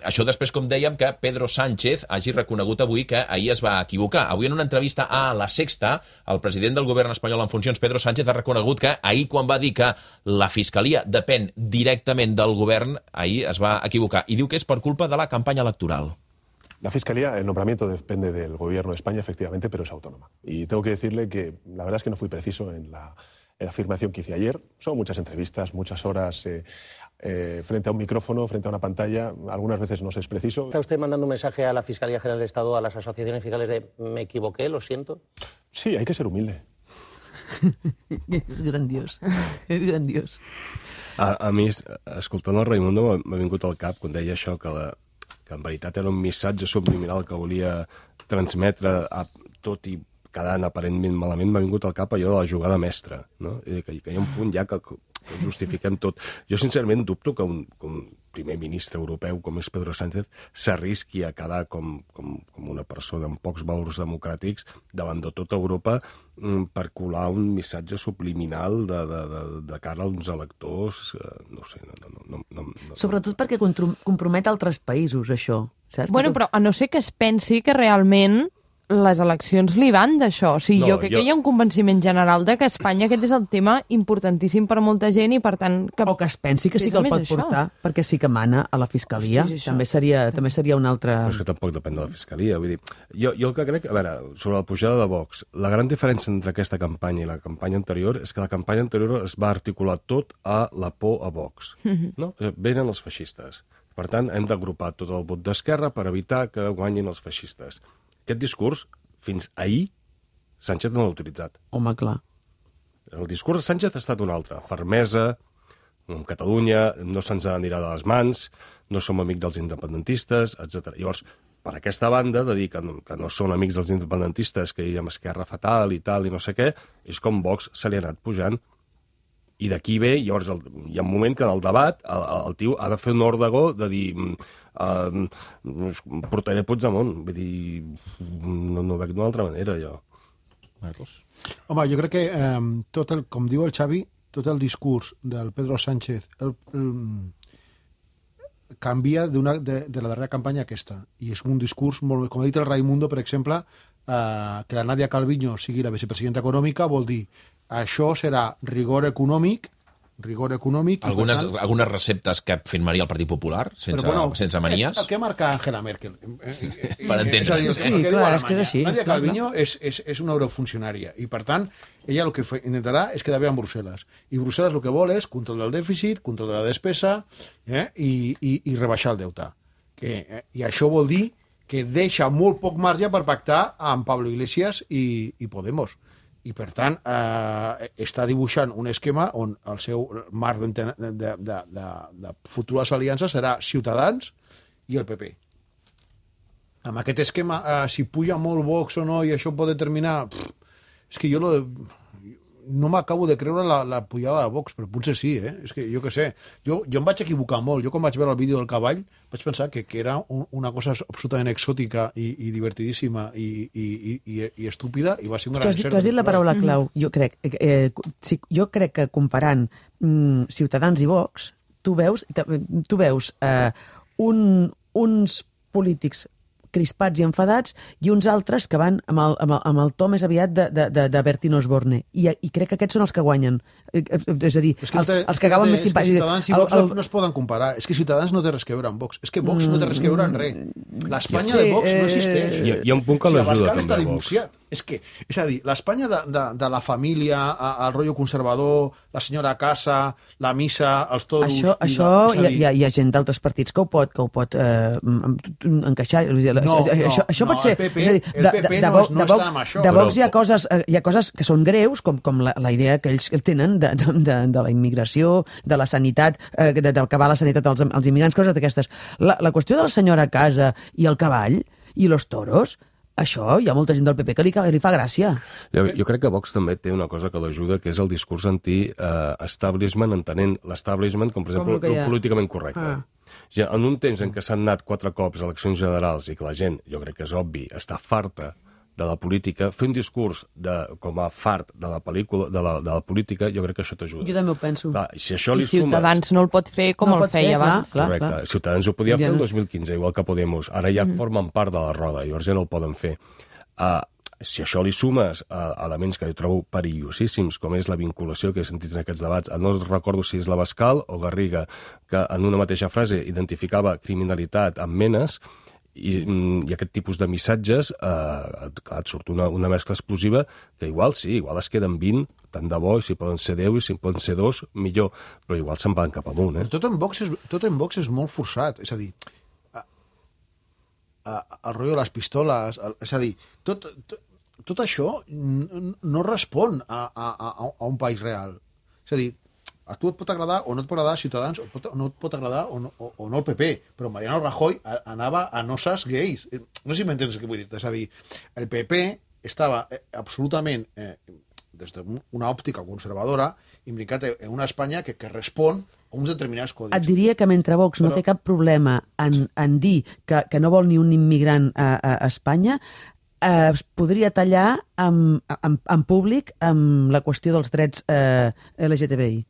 Això després, com dèiem, que Pedro Sánchez hagi reconegut avui que ahir es va equivocar. Avui en una entrevista a La Sexta, el president del govern espanyol en funcions, Pedro Sánchez, ha reconegut que ahir, quan va dir que la Fiscalia depèn directament del govern, ahir es va equivocar. I diu que és per culpa de la campanya electoral. La Fiscalía, el nombramiento depende del Gobierno de España, efectivamente, pero es autónoma. Y tengo que decirle que la verdad es que no fui preciso en la afirmación que hice ayer. Son muchas entrevistas, muchas horas frente a un micrófono, frente a una pantalla. Algunas veces no se es preciso. ¿Está usted mandando un mensaje a la Fiscalía General del Estado, a las asociaciones fiscales de me equivoqué, lo siento? Sí, hay que ser humilde. És grandiós, és grandiós. A mi, escoltant el Raimundo, m'ha vingut al cap quan deia això, que en veritat era un missatge subliminal que volia transmetre tot i quedant aparentment malament. M'ha vingut al cap allò de la jugada mestra, no? Que hi ha un punt ja que justifiquem tot. Jo sincerament dubto que un primer ministre europeu com és Pedro Sánchez s'arrisqui a quedar com una persona amb pocs valors democràtics davant de tota Europa per colar un missatge subliminal de cara a uns electors, no sé. Sobretot perquè compromet altres països, això. Saps? Bueno, però a no ser que es pensi que realment les eleccions li van d'això. O sigui, jo crec que hi ha un convenciment general de que a Espanya aquest és el tema importantíssim per molta gent i, per tant... O que es pensi que sí que el pot portar, perquè sí que mana a la Fiscalia. També seria un altre... Però és que tampoc depèn de la Fiscalia. Vull dir, jo el que crec... A veure, sobre la pujada de Vox, la gran diferència entre aquesta campanya i la campanya anterior és que la campanya anterior es va articular tot a la por a Vox. No? Venen els feixistes. Per tant, hem d'agrupar tot el vot d'Esquerra per evitar que guanyin els feixistes. Aquest discurs, fins ahir, Sánchez no l'ha utilitzat. Home, clar. El discurs de Sánchez ha estat un altre. Fermesa, amb Catalunya, no se'ns anirà de les mans, no som amics dels independentistes, etc. Llavors, per aquesta banda, de dir que no són amics dels independentistes, que hi ha Esquerra fatal i tal, i no sé què, és com Vox se li ha anat pujant. I d'aquí ve, llavors, hi ha un moment que en el debat el tio ha de fer un ordegó de dir portaré Puigdemont. Vull dir, no veig d'una altra manera, jo. Marcos? Home, jo crec que com diu el Xavi, tot el discurs del Pedro Sánchez canvia de la darrera campanya a aquesta. I és un discurs molt... Com ha dit el Raimundo, per exemple, que la Nadia Calviño sigui la vicepresidenta econòmica vol dir això serà rigor econòmic. Algunes receptes que firmaria el Partit Popular, sense manies? El que marca Angela Merkel. Per entendre's. Sí, clar, és que és així. Nadia Calviño és una eurofuncionària i, per tant, ella el que intentarà és quedar bé amb Brussel·les. I Brussel·les el que vol és control del dèficit, control de la despesa i rebaixar el deute. I això vol dir que deixa molt poc marge per pactar amb Pablo Iglesias i Podemos. I, per tant, està dibuixant un esquema on el seu marc de futures aliances serà Ciutadans i el PP. Amb aquest esquema, si puja molt Vox o no i això pot determinar... És que jo no m'acabo de creure la pujada de Vox, però potser sí, És que jo què sé. Jo em vaig equivocar molt. Jo quan vaig veure el vídeo del cavall vaig pensar que era una cosa absolutament exòtica i divertidíssima i estúpida i va ser un gran encert. Tu has dit la paraula clau. Jo crec que comparant Ciutadans i Vox, tu veus uns polítics crispats i enfadats, i uns altres que van amb el to més aviat de Bertín Osborne. I crec que aquests són els que guanyen. És a dir, els que acaben més simpàtics. Ciutadans i Vox no es poden comparar. És que Ciutadans no té res que veure amb Vox. És que Vox no té res que veure en res. L'Espanya de Vox no existeix. Hi ha un punt que l'ajuda també, Vox. És a dir, l'Espanya de la família, el rotllo conservador, la senyora a casa, la missa, els toros... Això hi ha gent d'altres partits que ho pot encaixar. Això pot ser... El PP no està amb això. De Vox hi ha coses que són greus, com la idea que ells tenen de la immigració, de la sanitat, d'acabar la sanitat als immigrants, coses d'aquestes. La qüestió de la senyora a casa i el cavall i los toros, això hi ha molta gent del PP que li fa gràcia. Jo crec que Vox també té una cosa que l'ajuda, que és el discurs anti-establishment, entenent l'establishment com, per exemple, el políticament correcte. Ja, en un temps en què s'han anat 4 cops a eleccions generals i que la gent, jo crec que és obvi, està farta de la política, fer un discurs com a fart de la pel·lícula, de la política, jo crec que això t'ajuda. Jo també ho penso. Clar, si això li Ciutadans no el pot fer com el feia abans. Correcte. Ciutadans ho podia fer el 2015, igual que Podemos. Ara ja formen part de la roda, llavors ja no el poden fer. Si això li sumes elements que jo trobo perillosíssims, com és la vinculació que he sentit en aquests debats, no recordo si és l'Abascal o Garriga, que en una mateixa frase identificava criminalitat amb menes, i aquest tipus de missatges et surt una mescla explosiva que igual es queden 20, tant de bo, i si poden ser 10 i si poden ser 2, millor, però igual se'n van cap amunt. Però tot en Vox és molt forçat, és a dir, el rotllo de les pistoles, és a dir, tot això no respon a un país real. És a dir, a tu et pot agradar o no et pot agradar Ciutadans, o no et pot agradar o no el PP, però Mariano Rajoy anava a noces gais. No sé si m'entens què vull dir. És a dir, el PP estava absolutament, des d'una òptica conservadora, imbricat en una Espanya que respon a uns determinats codis. Et diria que mentre Vox no té cap problema en dir que no vol ni un immigrant a Espanya, es podria tallar en públic amb la qüestió dels drets LGTBI.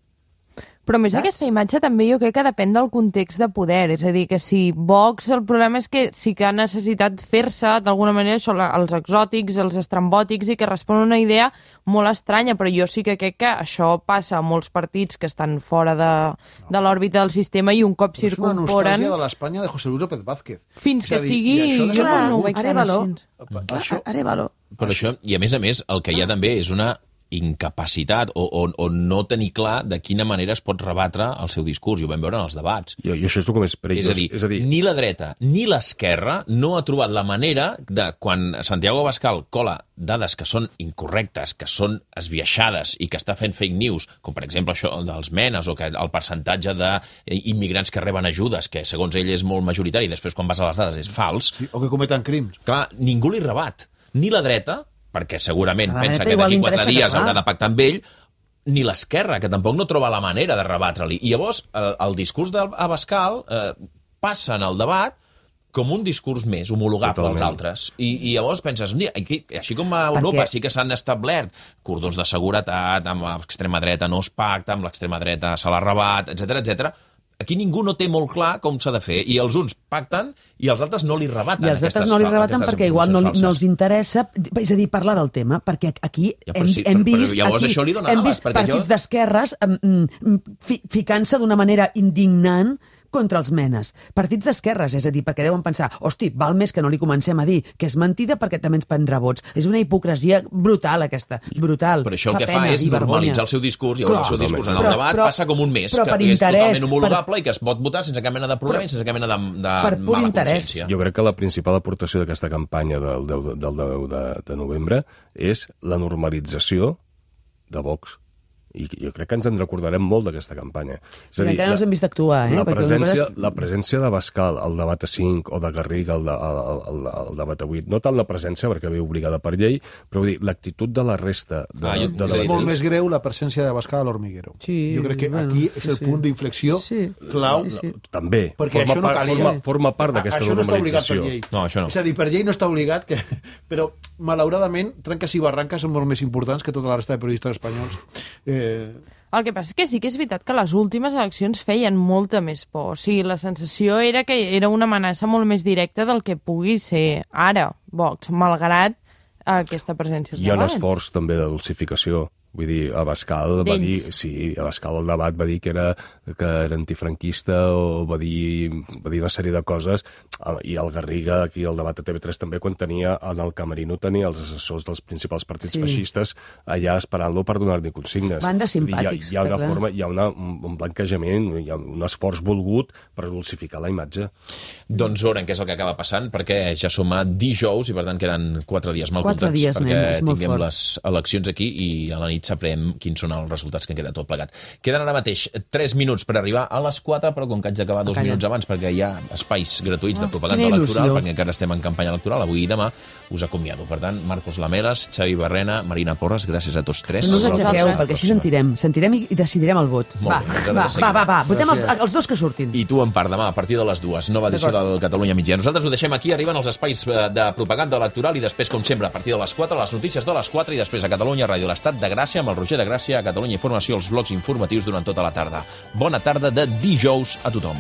Però més aquesta imatge també jo crec que depèn del context de poder, és a dir, que si Vox, el problema és que sí que ha necessitat fer-se d'alguna manera això, els exòtics, els estrambòtics, i que respon a una idea molt estranya, però jo sí que crec que això passa a molts partits que estan fora de l'òrbita del sistema i un cop circumporen... És una nostàlgia de l'Espanya de José Luis López Vázquez. Fins que sigui... Jo no ho veig tan així. Arevalo. Però això, i a més, el que hi ha també és una incapacitat o no tenir clar de quina manera es pot rebatre el seu discurs, i ho vam veure en els debats. I això és el que més perillós. És a dir, ni la dreta ni l'esquerra no ha trobat la manera de, quan Santiago Abascal cola dades que són incorrectes, que són esbiaixades i que està fent fake news, com per exemple això dels menes o que el percentatge d'immigrants que reben ajudes, que segons ell és molt majoritari, i després quan vas a les dades és fals. Sí, o que cometen crims. Clar, ningú li rebat. Ni la dreta, perquè segurament pensa que d'aquí 4 dies haurà de pactar amb ell, ni l'esquerra, que tampoc no troba la manera de rebatre-li. I llavors el discurs d'Abascal passa en el debat com un discurs més homologable als altres. I llavors penses, així com a Europa sí que s'han establert cordons de seguretat, amb l'extrema dreta no es pacta, amb l'extrema dreta se l'ha rebat, etc. Aquí ningú no té molt clar com s'ha de fer, i els uns pacten i els altres no li rebaten. I els altres no li rebaten perquè igual no els interessa, és a dir, parlar del tema, perquè aquí hem vist partits d'esquerres ficant-se d'una manera indignant contra els menes. Partits d'esquerres, és a dir, perquè deuen pensar, hosti, val més que no li comencem a dir que és mentida perquè també ens prendrà vots. És una hipocresia brutal, aquesta. Brutal. Però això el que fa és normalitzar el seu discurs, i llavors el seu discurs en el debat passa com un mes, que és totalment homologable i que es pot votar sense cap mena de problema i sense cap mena de mala consciència. Jo crec que la principal aportació d'aquesta campanya del 10 de novembre és la normalització de Vox. I jo crec que ens en recordarem molt d'aquesta campanya. És a dir, encara no els hem vist actuar, La presència d'Abascal al debat a 5 o de Garriga al debat a 8, no tant la presència, perquè ve obligada per llei, però vull dir, l'actitud de la resta... És molt més greu la presència d'Abascal a l'Hormiguero. Jo crec que aquí és el punt d'inflexió clau. També. Perquè això no calia. Forma part d'aquesta normalització. No, això no. És a dir, per llei no està obligat, però malauradament trenques i barranques són molt més importants que tota la resta de periodistes espanyols. El que passa és que sí que és veritat que les últimes eleccions feien molta més por. O sigui, la sensació era que era una amenaça molt més directa del que pugui ser ara Vox, malgrat aquesta presència als debats. Hi ha un esforç també de dulcificació. Vull dir, Abascal va dir... Sí, Abascal al debat va dir que era antifranquista o va dir una sèrie de coses, i el Garriga aquí al debat de TV3 també, quan tenia en el camerino tenia els assessors dels principals partits feixistes allà esperant-lo per donar-li consignes. Banda simpàtics. Hi ha una forma, hi ha un blanquejament, hi ha un esforç volgut per dulcificar la imatge. Doncs veurem què és el que acaba passant, perquè ja som a dijous i per tant queden 4 dies mal comptats perquè tinguem les eleccions aquí, i a la nit nit sabrem quins són els resultats que queda tot plegat. Queden ara mateix 3 minuts per arribar a les 4, però com que haig d'acabar 2 minuts abans perquè hi ha espais gratuïts de propaganda electoral, perquè encara estem en campanya electoral, avui i demà us acomiado. Per tant, Marcos Lamelas, Xavi Barrena, Marina Porres, gràcies a tots tres. No us aixequeu, perquè així sentirem i decidirem el vot. Va, votem els dos que surtin. I tu, en part, demà, a partir de les 2, nova edició del Catalunya Migdia. Nosaltres ho deixem aquí, arriben els espais de propaganda electoral i després, com sempre, a partir de les 4, les notícies de les 4 i després a Catalunya Ràdio, l'Estat de Gràcia, amb el Roger de Gràcia, a Catalunya Informació, els blocs informatius durant tota la tarda. Bona tarda de dijous a tothom.